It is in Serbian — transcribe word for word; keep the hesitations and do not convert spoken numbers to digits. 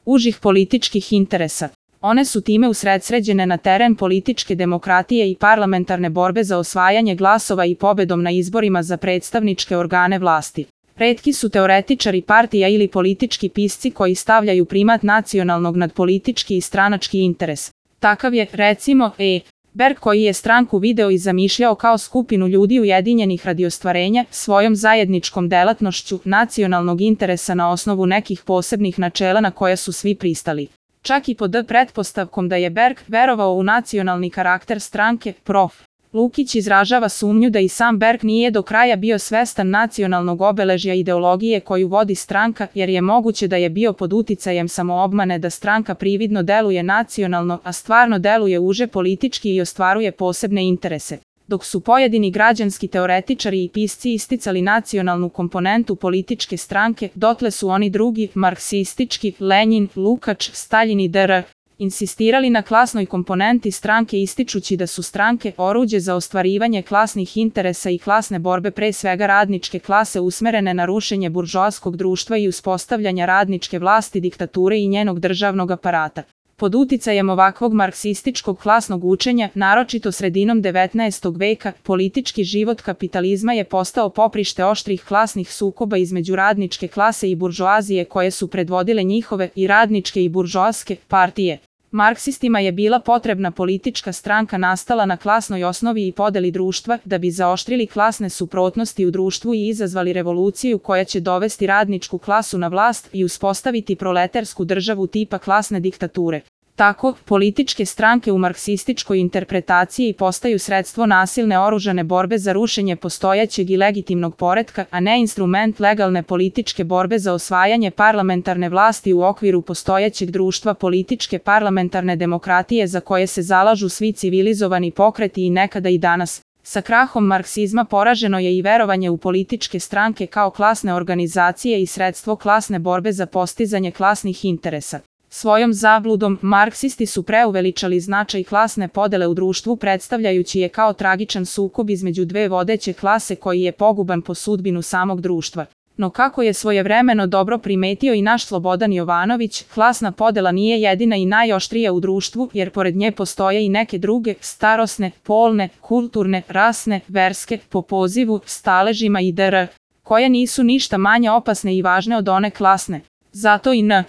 užih političkih interesa. One su time usredsređene na teren političke demokratije i parlamentarne borbe za osvajanje glasova i pobedom na izborima za predstavničke organe vlasti. Retki su teoretičari partija ili politički pisci koji stavljaju primat nacionalnog nad politički i stranački interes. Takav je, recimo, E. Berg koji je stranku video i zamišljao kao skupinu ljudi ujedinjenih radi ostvarenja svojom zajedničkom delatnošću nacionalnog interesa na osnovu nekih posebnih načela na koja su svi pristali. Čak i pod pretpostavkom da je Berg verovao u nacionalni karakter stranke, prof. Lukić izražava sumnju da i sam Berg nije do kraja bio svestan nacionalnog obeležja ideologije koju vodi stranka, jer je moguće da je bio pod uticajem samoobmane da stranka prividno deluje nacionalno, a stvarno deluje uže politički i ostvaruje posebne interese. Dok su pojedini građanski teoretičari i pisci isticali nacionalnu komponentu političke stranke, dotle su oni drugi, marksistički, Lenjin, Lukač, Staljin i dr. insistirali na klasnoj komponenti stranke ističući da su stranke oruđe za ostvarivanje klasnih interesa i klasne borbe pre svega radničke klase usmerene na rušenje buržoaskog društva i uspostavljanja radničke vlasti diktature i njenog državnog aparata. Pod uticajem ovakvog marksističkog klasnog učenja, naročito sredinom devetnaestog veka, politički život kapitalizma je postao poprište oštrih klasnih sukoba između radničke klase i buržoazije koje su predvodile njihove i radničke i buržoaske partije. Marksistima je bila potrebna politička stranka nastala na klasnoj osnovi i podeli društva da bi zaoštrili klasne suprotnosti u društvu i izazvali revoluciju koja će dovesti radničku klasu na vlast i uspostaviti proletarsku državu tipa klasne diktature. Tako, političke stranke u marksističkoj interpretaciji postaju sredstvo nasilne oružane borbe za rušenje postojećeg i legitimnog poretka, a ne instrument legalne političke borbe za osvajanje parlamentarne vlasti u okviru postojećeg društva političke parlamentarne demokratije za koje se zalažu svi civilizovani pokreti i nekada i danas. Sa krahom marksizma poraženo je i verovanje u političke stranke kao klasne organizacije i sredstvo klasne borbe za postizanje klasnih interesa. Svojom zabludom, marksisti su preuveličali značaj klasne podele u društvu predstavljajući je kao tragičan sukob između dve vodeće klase koji je poguban po sudbinu samog društva. No kako je svojevremeno dobro primetio i naš Slobodan Jovanović, klasna podela nije jedina i najoštrija u društvu, jer pored nje postoje i neke druge, starosne, polne, kulturne, rasne, verske, po pozivu, staležima i dr. koje nisu ništa manje opasne i važne od one klasne. Zato i N.